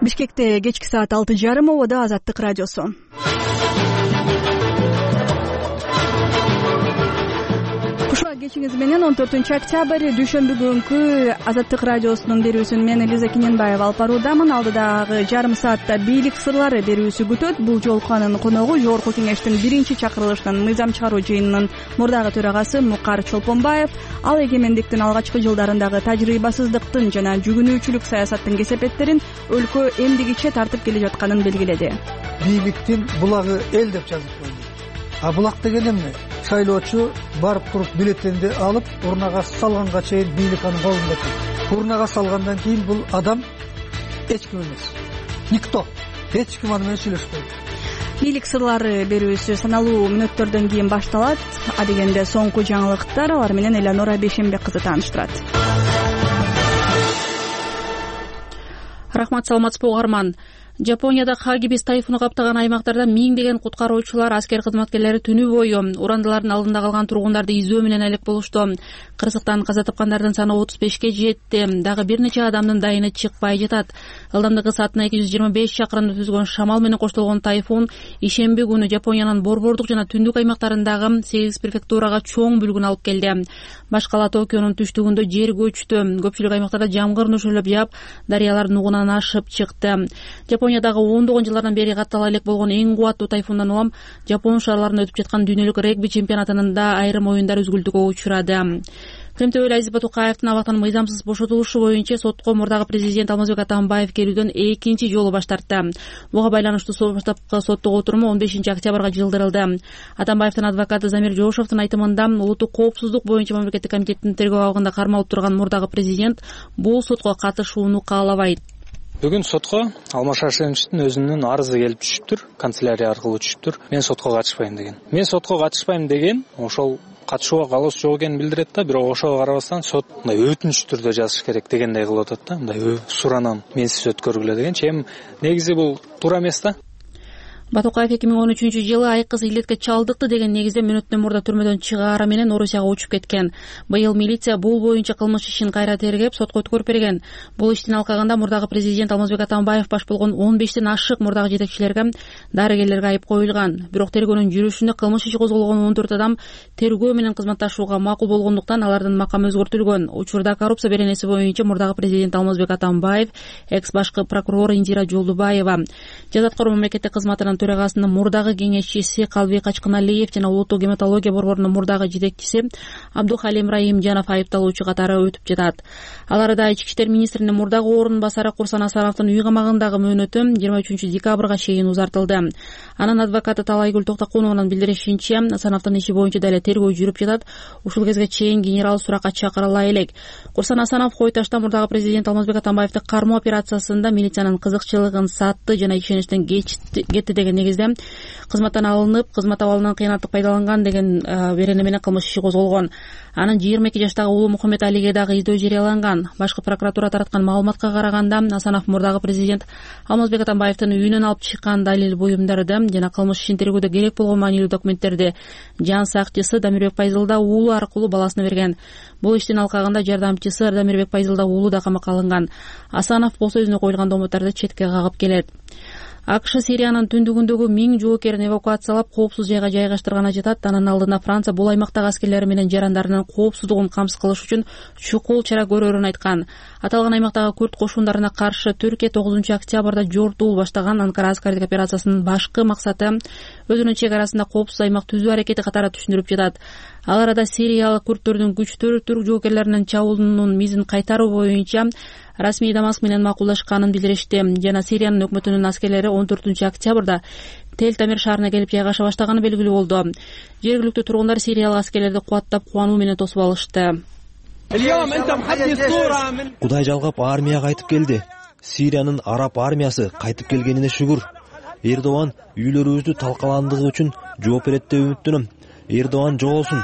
Бишкекте кечки саат 6:30 ободо Азаттык радиосу. Кушак кечиңиз менен 14-октябрь дүйшөмбү күнкү Азаттык радиосунун берүүсүн мен Элиза Кененбаева алып баруудамын. Алдыдагы жарым саатта бийлик сырлары берүүсү күтөт. Бул жолку анын коногу Жогорку Кеңештин 1-чакырылышынын мыйзам чыгаруу жыйынынын мурдагы төрагасы Мукар Чолпонбаев. Ал эгемендиктин алгачкы жылдарындагы тажрыйбасыздыктын жана жүгүнүүчүлүк саясаттын кесепеттерин өлкө эмдигиче тартып келе жатканын белгиледи. Бийликтин булагы эл деп жазып койду. А булак деген эмне? Шайлоочу барып туруп бюллетенди алып, урнага салганга чейин бийлик анын колунда экен. Урнага салгандан кийин бул адам эч ким эмес. Никто. Эч ким аны менен сүйлөшпөйт. Бийлик сырлары берүүсү саналуу мүнөттөрдөн кийин башталат. Адегенде соңку жаңылыктар алар менен Элеонора Бейшенбек кызы тааныштырат. Рахмат, саламатсызбы угарман. Жапонияда Хагибис тайфуну каптаган аймактарда миңдеген куткаруучулар, аскер кызматкерлери түнү бою урандылардын алдында калган тургундарды издөө менен алек болушту. Кырсыктан каза тапкандардын саны 35-ке жетти. Дагы бир нече адамдын дайыны чыкпай жатат. Ылдамдыгы саатына 225 чакырымды түзгөн шамал менен коштолгон тайфун ишемби күнү Жапониянын борбордук жана түндүк аймактарындагы 8 префектурага чоң бүлгүн алып келди. Башкала Токионун түштүгүндө жер көчтү. Көпчүлүк аймактарда жамгыр нөшөлөп жаап, дарыялар нугунан ашып чыкты. Жапониядагы ондогон жылдардан бери каттала элек болгон эң кубаттуу тайфундан улам Жапон шаарларында өтүп жаткан дүйнөлүк регби чемпионатынын да айрым оюндар үзгүлтүүгө учурады. Кремтөбөл Азиз Батукаевдин абактан мыйзамсыз бошотулушу боюнча сотко мурдагы президент Алмазбек Атамбаев келүүдөн экинчи жолу баш тартты. Буга байланыштуу баштапкы соттук отуруму 15-октябрга жылдырылды. Атамбаевдин адвокаты Замир Жошовдун айтымында, улуттук коопсуздук боюнча мамлекеттик комитеттин тергөө абагында кармалып турган мурдагы президент бул сотко катышууну каалабайт. Бүгүн сотко Алмаз Шаршеновичтин өзүнүн арызы келип түшүптүр, канцелярия аркылуу түшүптүр. Мен сотко катышпайм деген. Мен сотко катышпайм деген ошол катышууга калыс жок экенин билдирет да, бирок ошого карабастан сот мындай өтүнүч түрдө жазыш керек дегендей кылып атат да. Мындай суранам менсиз өткөргүлө дегенчи. Эми негизи бул туура эмес да. Батукаев 2013-жылы айкыз илетке чалдыкты деген негизде мүнөттөн мурда түрмөдөн чыгаары менен Орусияга учуп кеткен. Быйыл милиция бул боюнча кылмыш ишин кайра тергеп, сотко өткөрүп берген. Бул иштин алкагында мурдагы президент Алмазбек Атамбаев баш болгон 15тен ашык мурдагы жетекчилерге, дарыгерлерге айып коюлган. Бирок тергөөнүн жүрүшүндө кылмыш иши козголгон 14 адам тергөө менен кызматташууга макул болгондуктан алардын макамы өзгөртүлгөн. Учурда коррупция беренеси боюнча мурдагы президент Алмазбек Атамбаев, экс башкы прокурор Индира Жолдубаева, жаза аткаруу мамлекеттик кызматынын төрагасынын мурдагы кеңешчиси Калбек Ачкыналиев жана улуттук гематология борборунун мурдагы жетекчиси Абдухалим Раимжанов айыпталуучу катары өтүп жатат. Аларда ички иштер министринин мурдагы орун басары Курсан Асановдун үй камагындагы мөөнөтү 23-декабрга чейин узартылды. Анын адвокаты Талайгүл Токтокунованын билдиришинче, Асановдун иши боюнча дале тергөө жүрүп жатат. Ушул кезге чейин генерал суракка чакырыла элек. Курсан Асанов Койташта мурдагы президент Алмазбек Атамбаевди кармоо операциясында милициянын кызыкчылыгын сатты жана ишеничтен кетти деген негизде кызматтан алынып, кызмат абалынан кыянаттык пайдаланган деген берене менен кылмыш иши козголгон. Анын 22 жаштагы уулу Мухаммед Алиге дагы издөө жарыяланган. Башкы прокуратура тараткан маалыматка караганда, Асанов мурдагы президент Алмазбек Атамбаевдин үйүнөн алып чыккан далил буюмдарды жана кылмыш ишин тергөөдө керек болгон маанилүү документтерди жан сакчысы Дамирбек Пайзылда уулу аркылуу баласына берген. Бул иштин алкагында жардамчысы Дамирбек Пайзылда уулу да камакка алынган. Асанов болсо өзүнө коюлган домотторду четке кагып келет. АКШ Сириянын түндүгүндөгү 1000 жоокерин эвакуациялап, коопсуз жайга жайгаштырганы жатат. Анын алдында Франция бул аймактагы аскерлери менен жарандарынын коопсуздугун камсыз кылыш үчүн чукул чара көрөрүн айткан. Аталган аймактагы күрд кошундарына каршы Түркия 9-октябрда жортуул баштаган Анкара аскардык операциясынын башкы максаты өзүнүн чек арасында коопсуз аймак түзүү аракети катары түшүндүрүп жатат. Ал арада сириялык күрдтөрдүн күчтөрү түрк жоокерлеринин чабуулунун мизин кайтаруу боюнча расмий Дамаск менен макулдашканын билдиришти. Жана Сириянын өкмөтүнүн аскерлери 14-октябрда Тел-Тамир шаарына келип жайгаша баштаганы белгилүү болду. Жергиликтүү тургундар сириялык аскерлерди кубаттап, кубануу менен тосуп алышты. Кудай жалгап армия кайтып келди. Сириянын араб армиясы кайтып келгенине шүгүр. Эрдоган үйлөрүбүздү талкаландыгы үчүн жооп берет деп үмүттөнөм. Эрдоган жоголсун.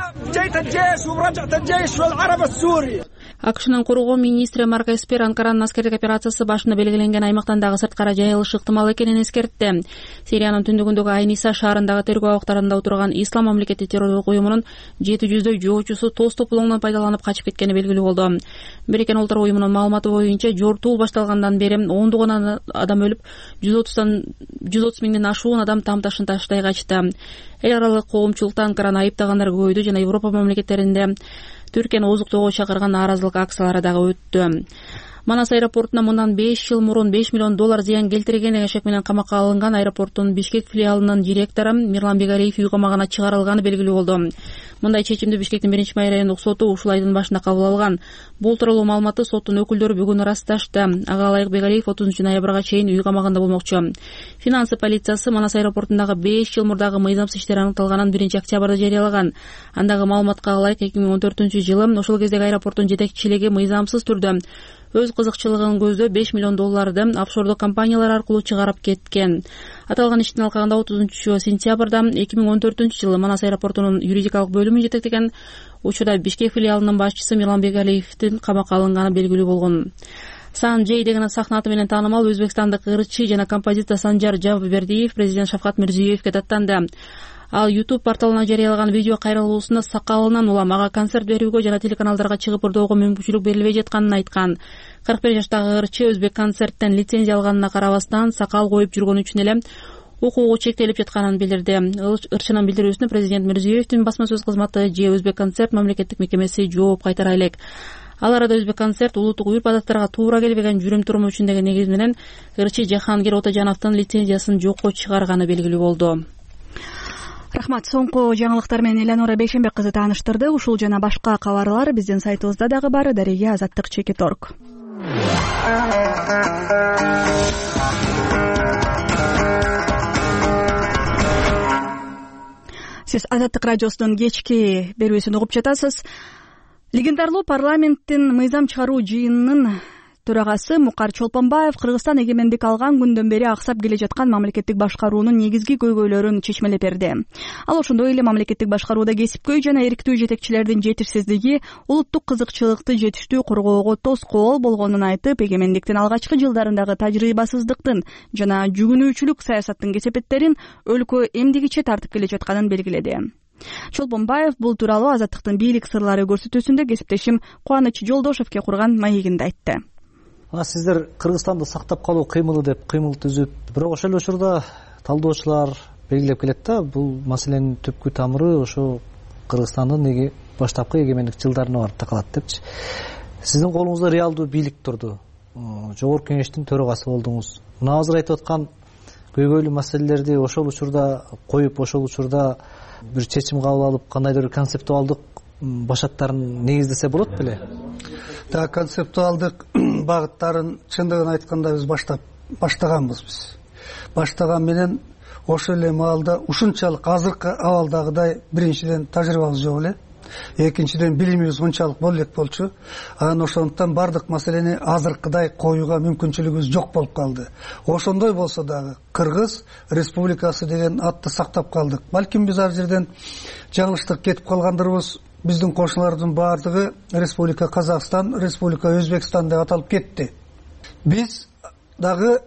АКШнын коргоо министри Марк Эспер Анкаранын аскердик операциясы башында белгиленген аймактан дагы сырткара жайылышы ыктымал экенин эскертти. Сириянын түндүгүндөгү Айниса шаарындагы тергөө абактарында отурган Ислам мамлекети террорлук уюмунун 700дөй жоочусу тоз топулоңдон пайдаланып качып кеткени белгилүү болду. Бириккен Улуттар уюмунун маалыматы боюнча жортуул башталгандан бери ондогон адам өлүп, 130 миңден ашуун адам тамташын таштай качты. Эл аралык коомчулукта Анкараны айыптагандар көбөйдү жана Европа мамлекеттеринде Түркияны ооздуктоого чакырган нааразылык акциялары дагы өттү. Манас аэропортуна мындан 5 жыл мурун $5 миллион зыян келтирген деген шек менен камакка алынган аэропорттун Бишкек филиалынын директору Мирлан Бегалиев үй камагына чыгарылганы белгилүү болду. Мындай чечимди Бишкектин 1 райондук соту ушул айдын башында кабыл алган. Бул тууралуу маалыматты соттун өкүлдөрү бүгүн ырасташты. Ага ылайык Бегалиев 30 ноябрга чейин үй камагында болмокчу. Финансы полициясы Манас аэропортундагы 5 жыл мурдагы мыйзамсыз иштер аныкталганын 1 октябрда жарыялаган. Андагы маалыматка ылайык 2014-жылы ошол кездеги аэропорттун жетекчилиги мыйзамсыз түрдө өз кызыкчылыгын көздөп $5 миллион офшордук компаниялар аркылуу чыгарып кеткен. Аталган иштин алкагында 30 сентябрда 2014-жылы Манас аэропортунун юридикалык бөлүмүн жетектеген учурда Бишкек филиалынын башчысы Мирлан Бегалиевдин камакка алынганы белгилүү болгон. Сан Джей деген сахна аты менен таанымал өзбекстандык ырчы жана композитор Санжар Жаббердиев президент Шавкат Мирзиёевге даттанды. Ал YouTube порталына жарыялаган видео кайрылуусунда сакалынан улам ага концерт берүүгө жана телеканалдарга чыгып ырдоого мүмкүнчүлүк берилбей жатканын айткан. 41 жаштагы ырчы өзбек концерттен лицензия алганына карабастан сакал коюп жүргөнү үчүн эле укугу чектелип жатканын билдирди. Ырчынын билдирүүсүнө президент Мирзиёевдин басма сөз кызматы же Өзбек концерт мамлекеттик мекемеси жооп кайтара элек. Ал арада Өзбек концерт улуттук урп-адаттарга туура келбеген жүрүм-туруму үчүн деген негиз менен ырчы Жахангир Отожановдун лицензиясын жокко чыгарганы белгилүү болду. Рахмат. Соңку жаңылыктар менен Элеонора Бейшенбек кызы тааныштырды. Ушул жана башка кабарлар биздин сайтыбызда дагы бар. Дареге Азаттык.org. Сиз Азаттык радиосунун кечки берүүсүн угуп жатасыз. Легендарлуу парламенттин мыйзам чыгаруу жыйынынын төрагасы Мукар Чолпонбаев Кыргызстан эгемендик алган күндөн бери аксап келе жаткан мамлекеттик башкаруунун негизги көйгөйлөрүн чечмелеп берди. Ал ошондой эле мамлекеттик башкарууда кесипкөй жана эрктүү жетекчилердин жетишсиздиги улуттук кызыкчылыкты жетиштүү коргоого тоскоол болгонун айтып, эгемендиктин алгачкы жылдарындагы тажрыйбасыздыктын жана жүгүнүүчүлүк саясаттын кесепеттерин өлкө эмдигиче тартып келе жатканын белгиледи. Чолпонбаев бул тууралуу Азаттыктын бийлик сырлары көрсөтүүсүндө кесиптешим Кубаныч Жолдошевке курган маегинде айтты. Сиздер Кыргызстанды сактап калуу кыймылы деп кыймыл түзүп, бирок ошол эле учурда талдоочулар белгилеп келет да, бул маселенин түпкү тамыры ошо Кыргызстандын баштапкы эгемендик жылдарына барып такалат депчи. Сиздин колуңузда реалдуу бийлик турду. Жогорку Кеңештин төрагасы болдуңуз. Мына азыр айтып аткан көйгөйлүү маселелерди ошол учурда коюп, ошол учурда бир чечим кабыл алып, кандайдыр концептуалдык башаттарын негиздесе болот беле? Да, концептуалдык багыттарын чындыгын айтканда биз баштаганбыз биз. Баштаган менен ошол эле маалда ушунчалык азыркы абалдагыдай биринчиден тажрыйбабыз жок эле. Экинчиден билимибиз унчалык боло элек болчу. Анан ошондуктан бардык маселени азыркыдай коюуга мүмкүнчүлүгүбүз жок болуп калды. Ошондой болсо дагы Кыргыз Республикасы деген атты сактап калдык. Балким биз ар жерден жаңылыштык кетип калгандырбыз. Биздин кошуналардын баардыгы Республика Казакстан, Республика Өзбекстан деп аталып кетти. Биз дагы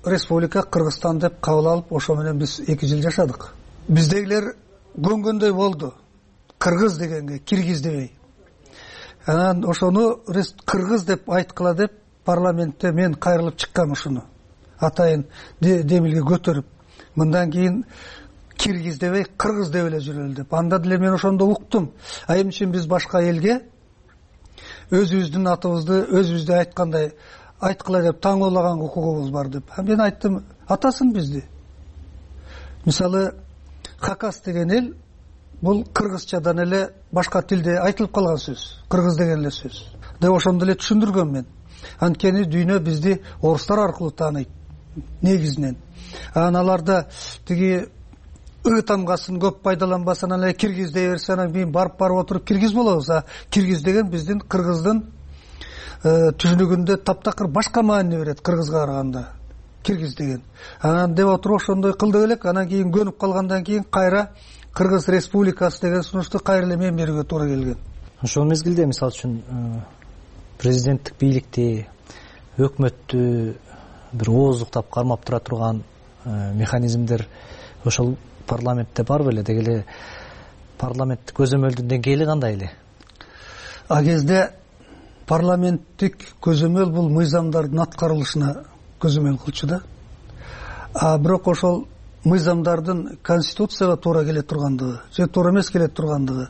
Республика Кыргызстан деп кабыл алып, ошо менен биз 2 жыл жашадык. Биздегилер көнгөндөй болду. Кыргыз дегенге киргиз дебей. Анан ошону Кыргыз деп айткыла деп парламентте мен кайрылып чыккам ушуну. Атайын демилге көтөрүп, мындан кийин киргиз дебей кыргыз деп эле жүрөлү деп. Анда деле мен ошондо уктум. Эмне үчүн биз башка элге өзүбүздүн атыбызды өзүбүздө айткандай айткыла деп таңоолаган укугубуз бар деп. Мен айттым, атасын бизди. Мисалы Хакас деген эл бул кыргызчадан эле башка тилде айтылып калган сөз. Кыргыз деген эле сөз. Деп ошондо эле түшүндүргөм мен. Анткени дүйнө бизди орустар аркылуу тааныйт негизинен. Анан аларда тиги тамгасын көп пайдаланбаса, анан эле киргиз дей берсе, анан кийин барып отуруп киргиз болобуз. Киргиз деген биздин кыргыздын түшүнүгүндө таптакыр башка маани берет кыргызга караганда. Киргиз деген. Анан деп отуруп ошондой кылдык элек. Анан кийин көнүп калгандан кийин кайра Кыргыз Республикасы деген сунушту кайра эле мен берүүгө туура келген. ошол мезгилде мисалы үчүн президенттик бийликти, өкмөттү бир ооздуктап кармап тура турган механизмдер ошол парламентте бар беле? Деги эле парламенттик көзөмөлдүн деңгээли кандай эле? А кезде парламенттик көзөмөл бул мыйзамдардын аткарылышына көзөмөл кылчу да. А бирок ошол мыйзамдардын конституцияга туура келе тургандыгы же туура эмес келе тургандыгы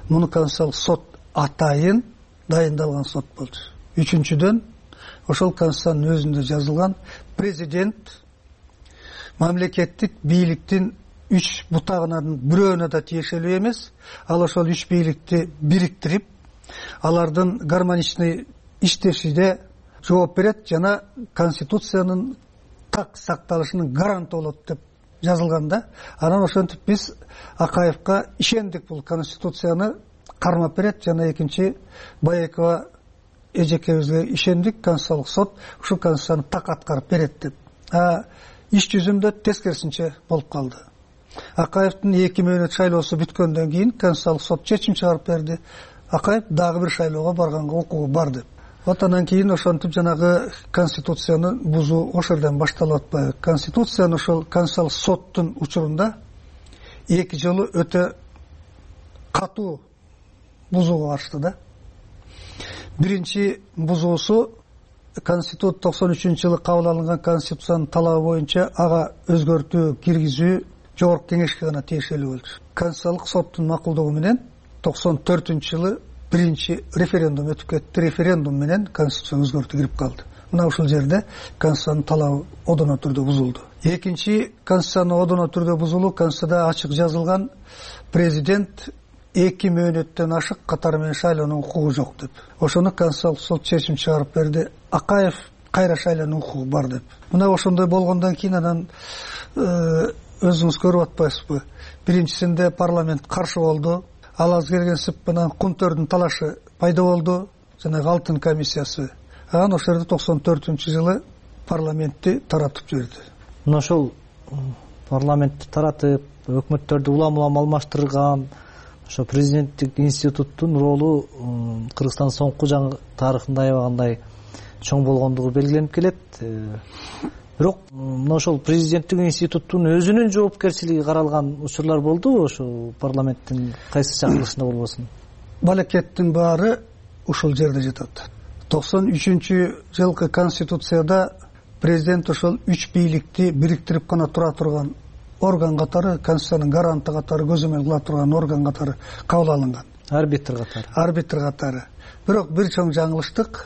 муну Конституциялык сот атайын дайындалган сот болчу. Үчүнчүдөн ошол Конституциянын өзүндө жазылган президент мамлекеттик бийликтин 3 бутагынын бирөөнө да тиешелүү эмес. Ал ошол 3 бийликти бириктирип, алардын гармоничный иштешине жооп берет жана Конституциянын так сакталышынын гаранты болот деп жазылган да. Анан ошентип биз Акаевка ишендик, бул Конституцияны кармап берет жана экинчи Баекова эжекебизге ишендик, Конституциялык сот ушул Конституцияны так аткарып берет деп. Иш жүзүндө тескерисинче болуп калды. Акаевдин 2 мөөнөт шайлоосу бүткөндөн кийин Конституциялык сот чечим чыгарып берди. Акаев дагы бир шайлоого барганга укугу бар деп. Вот андан кийин ошентип жанагы Конституцияны бузуу ошол жерден башталып атпайбы? Конституцияны ошол Конституциялык соттун учурунда 2 жолу өтө катуу бузууга барышты да. Биринчи бузуусу 93-жылы кабыл алынган Конституциянын талабы боюнча ага өзгөртүү киргизүү жогорку кеңешке гана тиешелүү болчу. Конституциялык соттун макулдугу менен 94-жылы биринчи референдум өтүп кетти. Референдум менен Конституция өзгөртүү кирип калды. Мына ушул жерде Конституциянын талабы одоно түрдө бузулду. Экинчи Конституциянын одоно түрдө бузулуу Конституцияда ачык жазылган президент 2 мөөнөттөн ашык катары менен шайлоонун укугу жок деп. Ошону Конституциялык сот чечим чыгарып берди. Акаев кайра шайлоонун укугу бар деп. Мына ошондой болгондон кийин анан өзүңүз көрүп атпайсызбы? Биринчисинде парламент каршы болду. Ал аз келгенсип менен Кунтөрдүн талашы пайда болду, жана Алтын комиссиясы. Анан ошол жерде 94-жылы парламентти таратып жиберди. Мына ошол парламентти таратып, өкмөттөрдү улам-улам алмаштырган ошо президенттик институттун ролу Кыргызстандын соңку тарыхында аябагандай чоң болгондугу белгиленип келет. Бирок мына ошол президенттик институттун өзүнүн жоопкерчилиги каралган учурлар болдубу ошо парламенттин кайсы чакырылышында болбосун? Балекеттин баары ушул жерде жатат. 93-жылкы Конституцияда президент ошол 3 бийликти бириктирип гана тура турган орган катары, Конституциянын гаранты катары, көзөмөл кыла турган орган катары кабыл алынган. Арбитр катары. Бирок бир чоң жаңылыштык,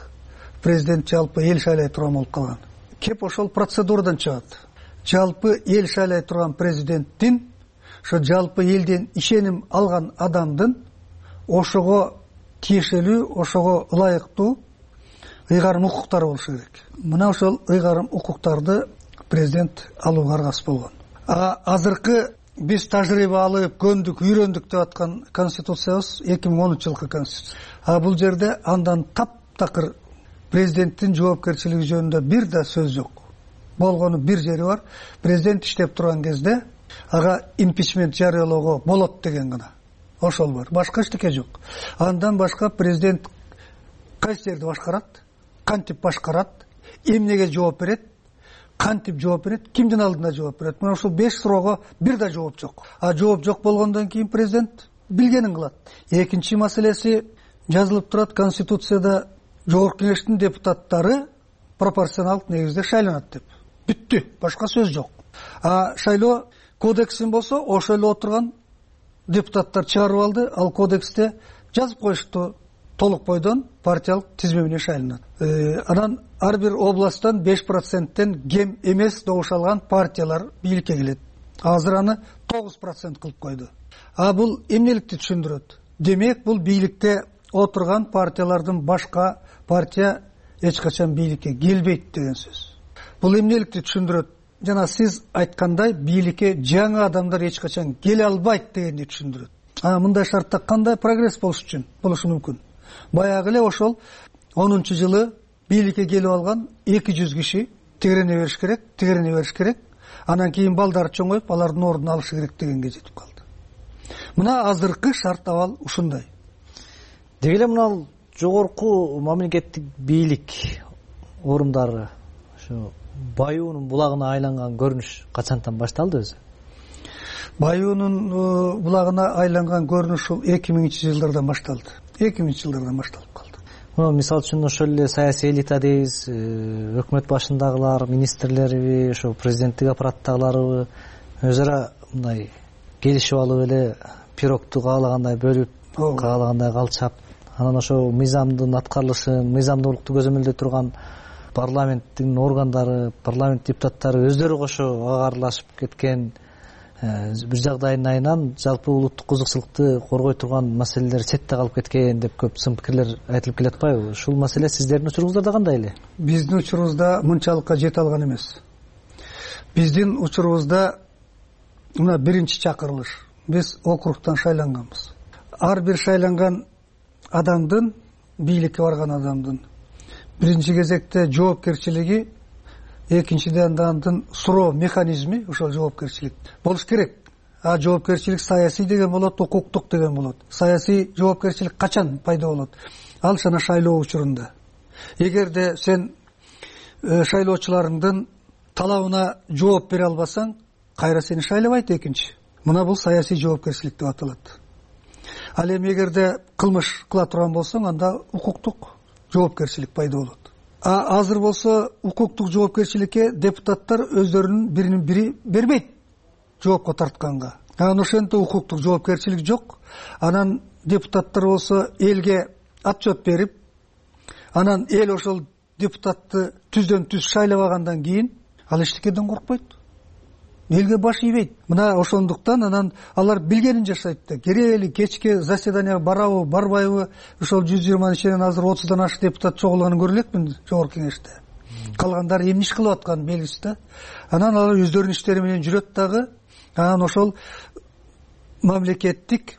президент жалпы эл шайлай турган болуп калган. Кеп ошол процедурадан чыгат. Жалпы эл шайлай турган президенттин ошо жалпы элден ишеним алган адамдын ошого тиешелүү, ошого ылайыктуу ыйгарым укуктары болушу керек. Мына ошол ыйгарым укуктарды президент алууга аргасыз болгон. Азыркы биз тажрыйба алып, көндүк, үйрөндүк деп аткан Конституциябыз 2013-жылкы Конституция. Бул жерде андан таптакыр президенттин жоопкерчилиги жөнүндө бир да сөз жок. Болгону бир жери бар. Президент иштеп турган кезде ага импичмент жарыялоого болот деген гана. Ошол бар. Башка эчтеке жок. Андан башка президент кайсы жерди башкарат, кантип башкарат, эмнеге жооп берет, кантип жооп берет, кимдин алдында жооп берет. Мына ушул 5 суроого бир да жооп жок. Жооп жок болгондон кийин президент билгенин кылат. Экинчи маселеси жазылып турат Конституцияда жогорку кеңештин депутаттары пропорционалдык негизде шайланат деп. Бүттү, башка сөз жок. Шайлоо кодексин болсо ошол эле отурган депутаттар чыгарып алды. Ал кодексте жазып коюшту, толук бойдон партиялык тизме менен шайланат. Анан ар бир областтан 5%тен кем эмес добуш алган партиялар бийликке келет. Азыр аны 9% кылып койду. Бул эмнеликти түшүндүрөт? Демек, бул бийликте отурган партиялардын башка партия эч качан бийликке келбейт деген сөз. Бул эмнеликти түшүндүрөт? Жана сиз айткандай бийликке жаңы адамдар эч качан келе албайт дегенди түшүндүрөт. Мындай шартта кандай прогресс болушу мүмкүн? Баягы эле ошол 10-жылы бийликке келип алган 200 киши тегерене бериш керек. Анан кийин балдары чоңоюп, алардын ордун алышы керек дегенге жетип калды. Мына азыркы шарт абал ушундай. деги эле мына жогорку мамлекеттик бийлик орундары ушу Баюунун булагына айланган көрүнүш качантан башталды өзү? Баюунун булагына айланган көрүнүш ул 2000-жылдардан башталды. 2000-жылдардан башталып калды. Мисалы үчүн ошол эле саясий элита дейбиз, өкмөт башындагылар, министрлерби, ошо президенттик аппараттагыларбы өз ара мындай келишип алып эле пирогту каалагандай бөлүп, каалагандай калчап, анан ошо мыйзамдын аткарылышын, мыйзамдуулукту көзөмөлдөй турган парламенттин органдары, парламент депутаттары өздөрү кошо ага аралашып кеткен, бир жагдайдын айынан жалпы улуттук кызыкчылыкты коргой турган маселелер четте калып кеткен деп көп сын пикирлер айтылып келе атпайбы? Ушул маселе сиздердин учуруңуздарда кандай эле? Биздин учурубузда мынчалыкка жете алган эмес. Биздин учурубузда мына биринчи чакырылыш. Биз округтан шайланганбыз. Ар бир шайланган адамдын, бийликке барган адамдын биринчи кезекте жоопкерчилиги, экинчиден андын суроо механизми, ошол жоопкерчилик болуш керек. Жоопкерчилик саясий деген болот, укуктук деген болот. Саясий жоопкерчилик качан пайда болот? Ал жана шайлоо учурунда. Эгерде сен шайлоочуларыңдын талабына жооп бере албасаң, кайра сени шайлабайт экинчи. Мына бул саясий жоопкерчилик деп аталат. Ал эми эгерде кылмыш кыла турган болсоң, анда укуктук жоопкерчилик пайда болот. Азыр болсо укуктук жоопкерчиликке депутаттар өздөрүнүн биринин бири бербейт жоопко тартканга. Анан ошентип укуктук жоопкерчилик жок. Анан депутаттар болсо элге отчет берип, анан эл ошол депутатты түздөн түз шайлабагандан кийин ал эчтекеден коркпойт. Элге баш ийбейт. Мына ошондуктан анан алар билгенин жашайт да. Керели кечке заседанияга барабы, барбайбы, ошол 120 ичинен азыр 30дан ашык депутат чогулганын көрө элекмин жогорку кеңеште. Калгандары эмне иш кылып атканы белгисиз да. Анан алар өздөрүнүн иштери менен жүрөт дагы. Анан ошол мамлекеттик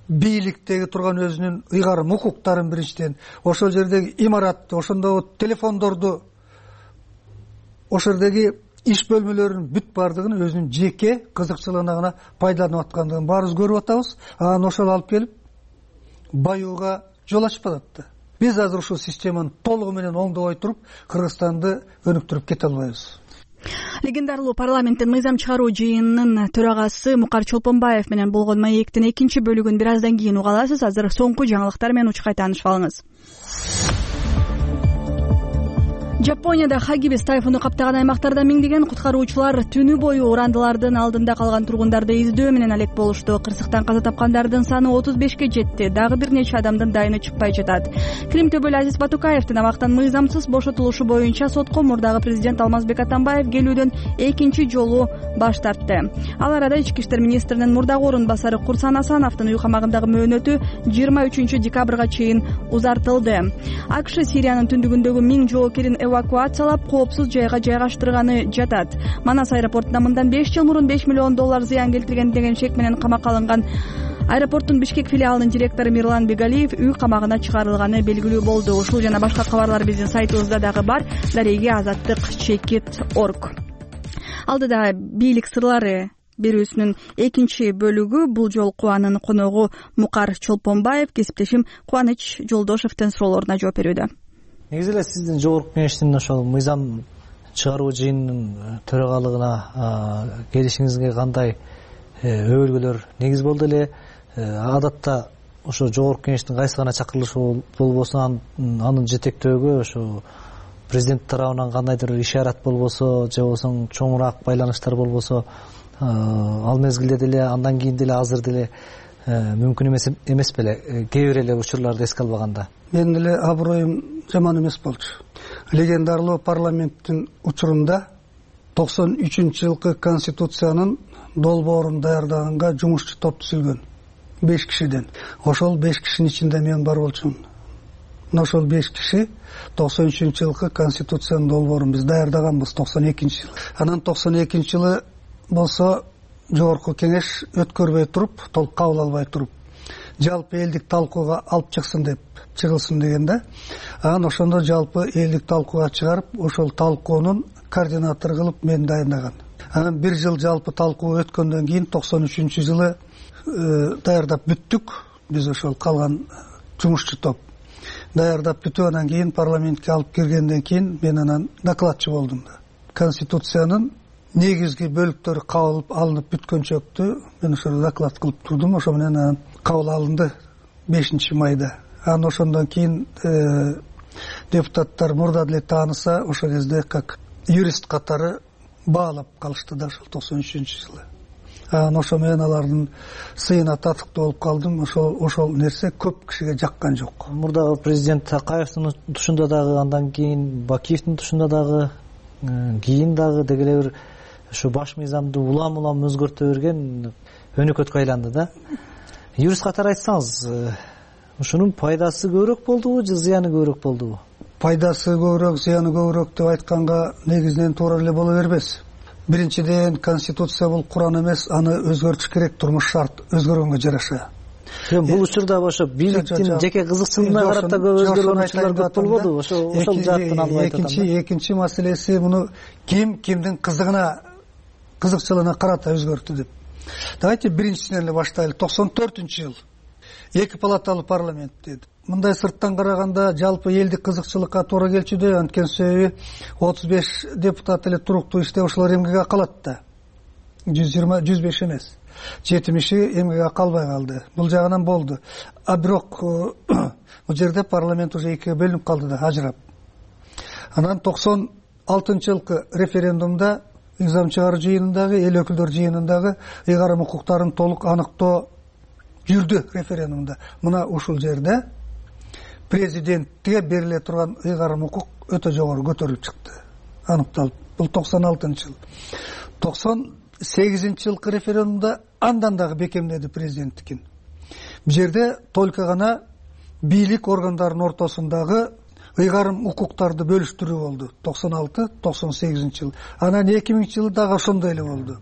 бийликтеги турган өзүнүн ыйгарым укуктарын биринчиден, ошол жердеги имаратты, ошондогу телефондорду, ошол жердеги иш бөлмөлөрүнүн бүт бардыгын өзүнүн жеке кызыкчылыгына гана пайдаланып аткандыгын баарыбыз көрүп атабыз. Анан ошол алып келип баюуга жол ачып атат да. Биз азыр ушул системаны толугу менен оңдобой туруп, Кыргызстанды өнүктүрүп кете албайбыз. Легендарлуу парламенттин мыйзам чыгаруу жыйынынын төрагасы Мукар Чолпонбаев менен болгон маектин экинчи бөлүгүн бир аздан кийин уга аласыз. Азыр соңку жаңылыктар менен учкай таанышып алыңыз. Жапонияда Хагибис тайфуну каптаган аймактарда миңдеген куткаруучулар түнү бою урандылардын алдында калган тургундарды издөө менен алек болушту. Кырсыктан каза тапкандардын саны 35ке жетти. Дагы бир нече адамдын дайыны чыкпай жатат. Клим Төбөл Азиз Батукаевдин абактан мыйзамсыз бошотулушу боюнча сотко мурдагы президент Алмазбек Атамбаев келүүдөн экинчи жолу баш тартты. Ал арада ички иштер министринин мурдагы орун басары Курсан Асановдун үй камагындагы мөөнөтү 23 декабрга чейин узартылды. АКШ Сириянын түндүгүндөгү 1000 жоокерин эвакуациялап, коопсуз жайга жайгаштырганы жатат. Манас аэропортуна мындан 5 жыл мурун $5 миллион зыян келтирген деген шек менен камакка алынган аэропорттун Бишкек филиалынын директору Мирлан Бегалиев үй камагына чыгарылганы белгилүү болду. Ушул жана башка кабарлар биздин сайтыбызда дагы бар. Дареги азаттык chekit.org. Алдыда бийлик сырлары берүүсүнүн экинчи бөлүгү. Бул жолку анын коногу Мукар Чолпонбаев, кесиптешим Кубаныч Жолдошевдин суроолоруна жооп берүүдө. Негизи эле сиздин жогорку кеңештин ошол мыйзам чыгаруу жыйынынын төрагалыгына келишиңизге кандай өбөлгөлөр негиз болду эле? Адатта ошо жогорку кеңештин кайсы гана чакырылышы болбосо анын жетектөөгө ошо президент тарабынан кандайдыр ишарат болбосо же болбосо чоңураак байланыштар болбосо ал мезгилде деле андан кийин деле азыр деле мүмкүн эмес беле кээ бир эле учурларды эске албаганда? Менин деле аброюм жаман эмес болчу. Легендарлуу парламенттин учурунда 93-жылкы конституциянын долбоорун даярдаганга жумушчу топ түзүлгөн 5 кишиден. Ошол 5 кишинин ичинде мен бар болчумун. Ошол 5 киши 93-жылкы конституциянын долбоорун биз даярдаганбыз 92-жылы. Анан 92-жылы болсо жогорку кеңеш өткөрбөй туруп, толук кабыл албай туруп, жалпы элдик талкууга алып чыгылсын деген да. Анан ошондо жалпы элдик талкууга чыгарып, ошол талкуунун координатору кылып мен даярдаган. Анан бир жыл жалпы талкуу өткөндөн кийин 93-жылы даярдап бүттүк. Биз ошол калган жумушчу топ даярдап бүтүп анан кийин парламентке алып киргенден кийин мен анан докладчы болдум да. Конституциянын негизги бөлүктөрү кабыл алынып бүткөнчөктү мен ошол доклад кылып турдум. Ошо менен анан кабыл алынды 5 майда. Анан ошондон кийин депутаттар мурда деле тааныса ошол кезде как юрист катары баалап калышты да ошол 93-жылы. Анан ошо менен алардын сыйына татыктуу болуп калдым. Ошол нерсе көп кишиге жаккан жок. Мурдагы президент Такаевдин тушунда дагы, андан кийин Бакиевдин тушунда дагы, кийин дагы деги эле бир ушу баш мыйзамды улам өзгөртө берген өнөкөткө айланды да. Юрист катары айтсаңыз, ушунун пайдасы көбүрөөк болдубу же зыяны көбүрөөк болдубу? Пайдасы көбүрөөк, зыяны көбүрөөк деп айтканга негизинен туура эле боло бербес. Биринчиден, конституция бул Куран эмес, аны өзгөртүш керек, турмуш шарт өзгөргөнгө жараша. Бул учурда ошо бийликтин жеке кызыкчылыгына карата көп өзгөргөн учурлар көп болбодубу? Ошол жааттан алып айтып атам. Экинчи маселеси муну кимдин кызыкчылыгына карата өзгөртү деп. Давайте биринчисинен эле баштайлы. 94-жыл 2 палаталуу парламент деди. Мындай сырттан караганда жалпы элдик кызыкчылыкка туура келчүдө, анткени себеби 35 депутат эле туруктуу иштеп ошолор эмгеге калат да. 105 эмес. 70 эмгеге калбай калды. Бул жагынан болду. А бирок бул жерде парламент уже экиге бөлүнүп калды да, ажырап. Анан 96-жылкы референдумда мыйзам чыгаруу жыйынындагы, эл өкүлдөр жыйынындагы ыйгарым укуктарын толук аныктоо жүрдү референдумда. Мына ушул жерде президентке бериле турган ыйгарым укук өтө жогору көтөрүлүп чыкты, аныкталып. Бул 96-жыл. 98-жылкы референдумда андан дагы бекемдеди президенттикин. Бул жерде только гана бийлик органдарынын ортосундагы ыйгарым укуктарды бөлүштүрүү болду. 96-98-жыл. Анан 2000-жылы дагы ошондой эле болду.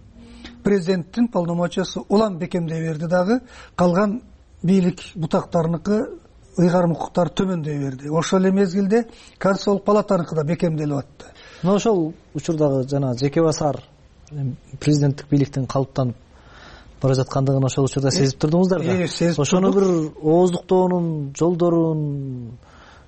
Президенттин полномочиясы улам бекемдей берди дагы, калган бийлик бутактарыныкы ыйгарым укуктар төмөндөй берди. Ошол эле мезгилде Конституциялык палатаныкы да бекемделип атты. Мына ошол учурдагы жана жеке басар президенттик бийликтин калыптанып бара жаткандыгын ошол учурда сезип турдуңуздар да. Ошону бир ооздуктоонун жолдорун,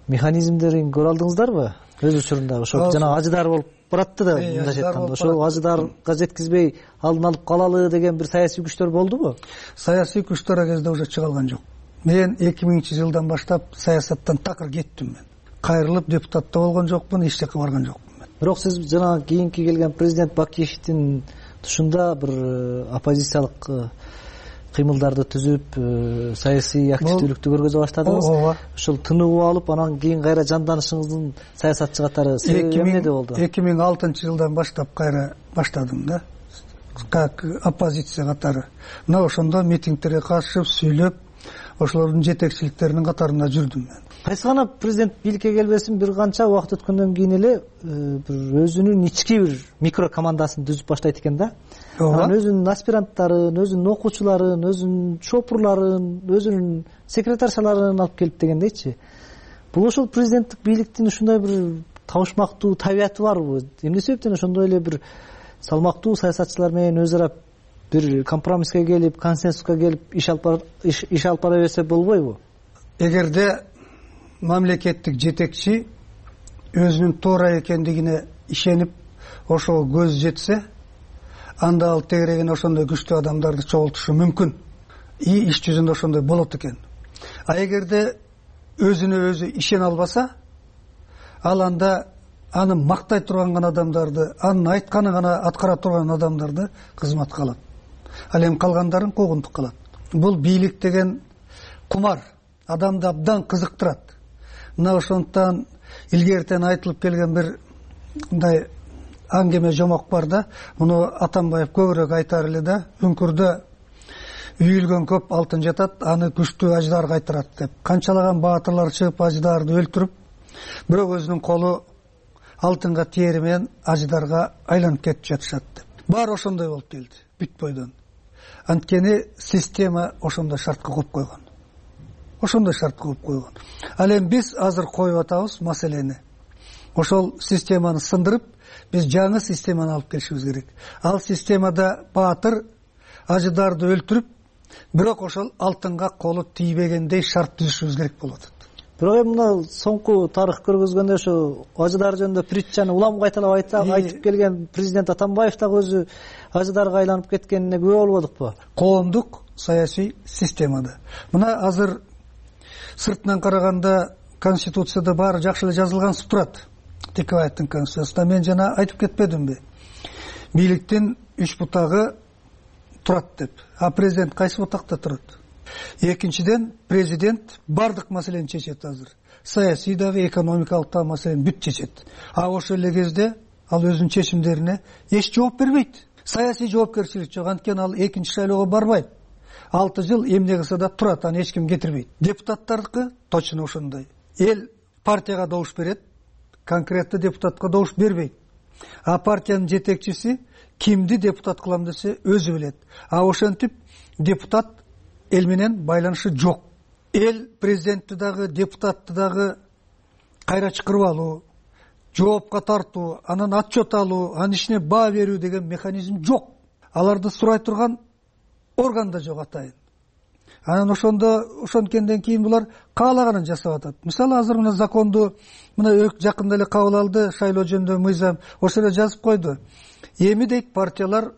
механизмдерин көрө алдыңыздарбы? Өз учурунда ошо жана ажыдар болуп баратты да, мындайча айтканда. Ошол ажыдарга жеткизбей алдын алып калалы деген бир саясий күчтөр болдубу? Саясий күчтөр ал кезде уже чыгалган жок. Мен 2000-жылдан баштап саясаттан такыр кеттим мен. Кайрылып депутатта болгон жокмун, эч жака барган жокмун мен. Бирок сиз жана кийинки келген президент Бакиевдин тушунда бир оппозициялык кыймылдарды түзүп, саясий активдүүлүктү көргөзө баштадыңыз. Ошол тыныгып алып, анан кийин кайра жанданышыңыздын саясатчы катары себеби эмнеде болду? 2006-жылдан баштап кайра баштадым да, как оппозиция катары. Мына ошондо митингтерге катышып, сүйлөп, ошолордун жетекчиликтеринин катарында жүрдүм мен. Кайсы гана президент бийликке келбесин бир канча убакыт өткөндөн кийин эле бир өзүнүн ички бир микро командасын түзүп баштайт экен да. Анан өзүнүн аспиранттарын, өзүнүн окуучуларын, өзүнүн шопурларын, өзүнүн секретаршаларын алып келип дегендейчи. Бул ошол президенттик бийликтин ушундай бир табышмактуу табияты барбы? Эмне себептен ошондой эле бир салмактуу саясатчылар менен өз ара бир компромисске келип, консенсуска келип иш алып бара берсе болбойбу? Эгерде мамлекеттик жетекчи өзүнүн туура экендигине ишенип, ошого көз жетсе, анда ал тегерегине ошондой күчтүү адамдарды чогултушу мүмкүн. Иш жүзүндө ошондой болот экен. А эгерде өзүнө өзү ишене албаса, ал анда аны мактай турган гана адамдарды, анын айтканын гана аткара турган адамдарды кызматка алат. Ал эми калгандарын куугунтук кылат. Бул бийлик деген кумар, адамды абдан кызыктырат. Мына ошондуктан илгертен айтылып келген бир мындай аңгеме жомок бар да, муну Атамбаев көбүрөөк айтар эле да, үңкүрдө үйүлгөн көп алтын жатат, аны күчтүү аждар кайтарат деп. Канчалаган баатырлар чыгып аждарды өлтүрүп, бирок өзүнүн колу алтынга тиери менен аждарга айланып кетип жатышат деп. Баары ошондой болуп келди, бүт бойдон. Анткени система ошондой шартка коюп койгон. Ошондой шарт коюп койгон. Ал эми биз азыр коюп атабыз маселени. Ошол системаны сындырып, биз жаңы системаны алып келишибиз керек. Ал системада баатыр ажыдарды өлтүрүп, бирок ошол алтынга колу тийбегендей шарт түзүшүбүз керек болуп атат. Бирок эми мына соңку тарых көргөзгөндө ошо ажыдар жөнүндө притчаны улам кайталап айтып келген президент Атамбаев дагы өзү ажыдарга айланып кеткенине күбө болбодукпу? Коомдук саясий системада мына азыр сыртынан караганда конституцияда баары жакшы эле жазылгансып турат. Текебаевдин конституциясында мен жана айтып кетпедимби? Бийликтин 3 бутагы турат деп. А президент кайсы бутакта турат? Экинчиден, президент бардык маселени чечет азыр. Саясий дагы, экономикалык дагы маселени бүт чечет. А ошол эле кезде ал өзүнүн чечимдерине эч жооп бербейт. Саясий жоопкерчилик жок, анткени ал экинчи шайлоого барбайт. 6 жыл эмне кылса да турат, аны эч ким кетирбейт. Депутаттардыкы точно ошондой. Эл партияга добуш берет, конкреттүү депутатка добуш бербейт. А партиянын жетекчиси кимди депутат кылам десе өзү билет. А ошентип депутат эл менен байланышы жок. Эл президентти дагы, депутатты дагы кайра чакырып алуу, жоопко тартуу, анан отчет алуу, анын ишине баа берүү деген механизм жок. Аларды сурай турган орган да жок атайын. Анан ошонткенден кийин булар каалаганын жасап атат. Мисалы азыр мына законду мына жакында эле кабыл алды шайлоо жөнүндө мыйзам, ошол эле жазып койду. Эми дейт партиялар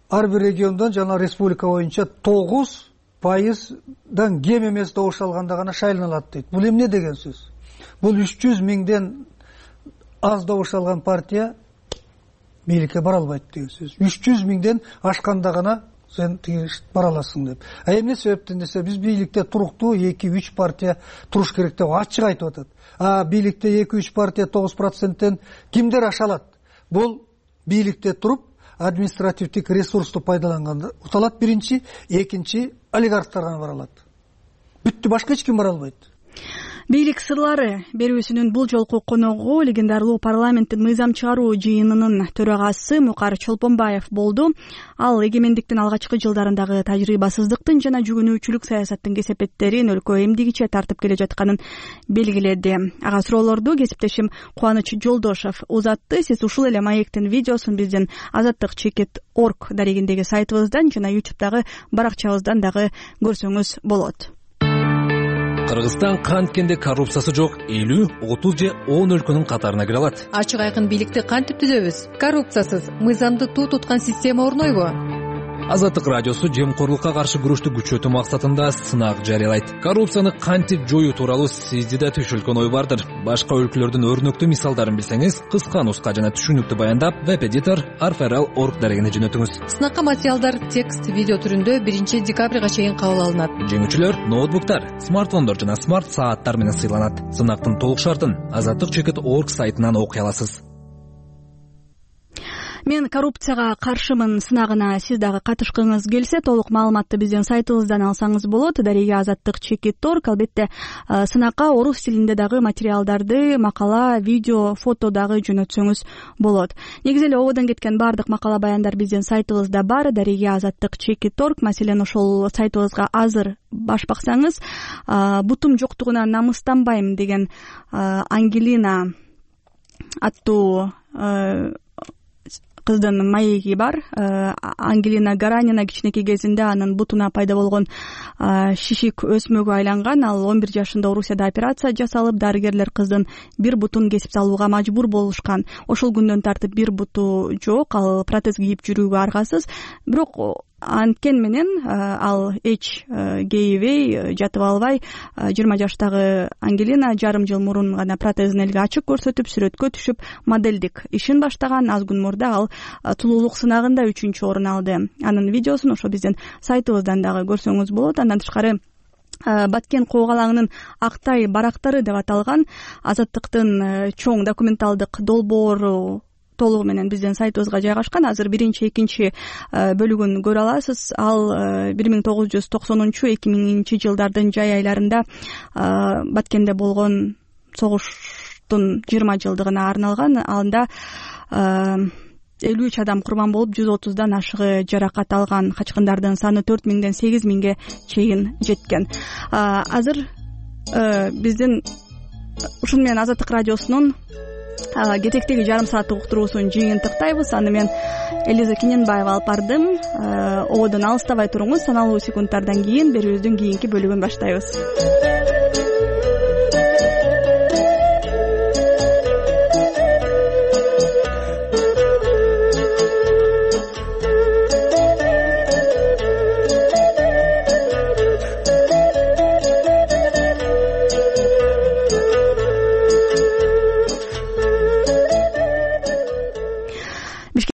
ар бир региондон жана республика боюнча 9%дан кем эмес добуш алганда гана шайланалат дейт. Бул эмне деген сөз? Бул 300 миңден аз добуш алган партия бийликке бара албайт деген сөз. 300 миңден ашканда гана сен бара аласың деп. А эмне себептен десе, биз бийликте туруктуу 2-3 партия туруш керек деп ачык айтып атат. А бийликте 2-3 партия 9%тен кимдер аша алат? Бул бийликте туруп административдик ресурсту пайдаланганда уталат биринчи, экинчи олигархтар гана бара алат. Бүттү, башка эч ким бара албайт. Бийлик сырлары берүүсүнүн бул жолку коногу легендарлуу парламенттин мыйзам чыгаруу жыйынынын төрагасы Мукар Чолпонбаев болду. Ал эгемендиктин алгачкы жылдарындагы тажрыйбасыздыктын жана жүгүнүүчүлүк саясаттын кесепеттерин өлкө эмдигиче тартып келе жатканын белгиледи. Ага суроолорду кесиптешим Кубаныч Жолдошов узатты. Сиз ушул эле маектин видеосун биздин azattik.org дарегиндеги сайтыбыздан жана YouTube'дагы баракчабыздан дагы көрсөңүз болот. Кыргызстан канткенде коррупциясы жок 50, 30 же 10 өлкөнүн катарына кире алат. Ачык айкын бийликти кантип түзөбүз? Коррупциясыз мыйзамды туу туткан система орнойбу? Азаттык радиосу жемкорлукка каршы күрөштү күчөтүү максатында сынак жарыялайт. Коррупцияны кантип жоюу тууралуу сизде да түшүлгөн ой бардыр. Башка өлкөлөрдүн өрнөктүү мисалдарын билсеңиз, кыска нуска жана түшүнүктүү баяндап веб-эдитор arferal.org дарегине жөнөтүңүз. Сынакка материалдар текст, видео түрүндө 1 декабрга чейин кабыл алынат. Жеңүүчүлөр ноутбуктар, смартфондор жана смарт сааттар менен сыйланат. Сынактын толук шартын azattik.org сайтынан окуй аласыз. Мен коррупцияга каршымын сынагына сиз дагы катышкыңыз келсе, толук маалыматты биздин сайтыбыздан алсаңыз болот. Дареги azattik.org. Албетте сынакка орус тилинде дагы материалдарды, макала, видео, фото дагы жөнөтсөңүз болот. Негизи эле ободон кеткен баардык макала баяндар биздин сайтыбызда бар. Дареги azattik.org. Маселен, ошол сайтыбызга азыр баш баксаңыз, бутум жоктугуна намыстанбайм деген Ангелина аттуу кыздын маеги бар. Ангелина Гаранина кичинекей кезинде анын бутуна пайда болгон шишик өсмөгө айланган. Ал 11 жашында Орусияда операция жасалып, дарыгерлер кыздын бир бутун кесип салууга мажбур болушкан. Ошол күндөн тартып бир буту жок, ал протез кийип жүрүүгө аргасыз. Бирок анткен менен ал эч кейибей, жатып албай 20 жаштагы Ангелина жарым жыл мурун гана протезин элге ачык көрсөтүп, сүрөткө түшүп, моделдик ишин баштаган. Аз күн мурда ал тулуулук сынагында 3-орун алды. Анын видеосун ошо биздин сайтыбыздан дагы көрсөңүз болот. Андан тышкары Баткен коогалаңынын Актай барактары деп аталган Азаттыктын чоң документалдык долбоору толугу менен биздин сайтыбызга жайгашкан. Азыр 1-2 бөлүгүн көрө аласыз. Ал 1990-2000 жылдардын жай айларында Баткенде болгон согуштун 20 жылдыгына арналган. Анда 53 адам курбан болуп, 130дан ашыгы жаракат алган. Качкындардын саны 4000ден 8000ге чейин жеткен. Азыр биздин ушун менен Азаттык радиосунун кетектеги жарым сааттык уктуруусун жыйынтыктайбыз. Аны мен Элиза Кененбаева алып бардым. Ободон алыстабай туруңуз. Саналуу секундтардан кийин берүүбүздүн кийинки бөлүгүн баштайбыз.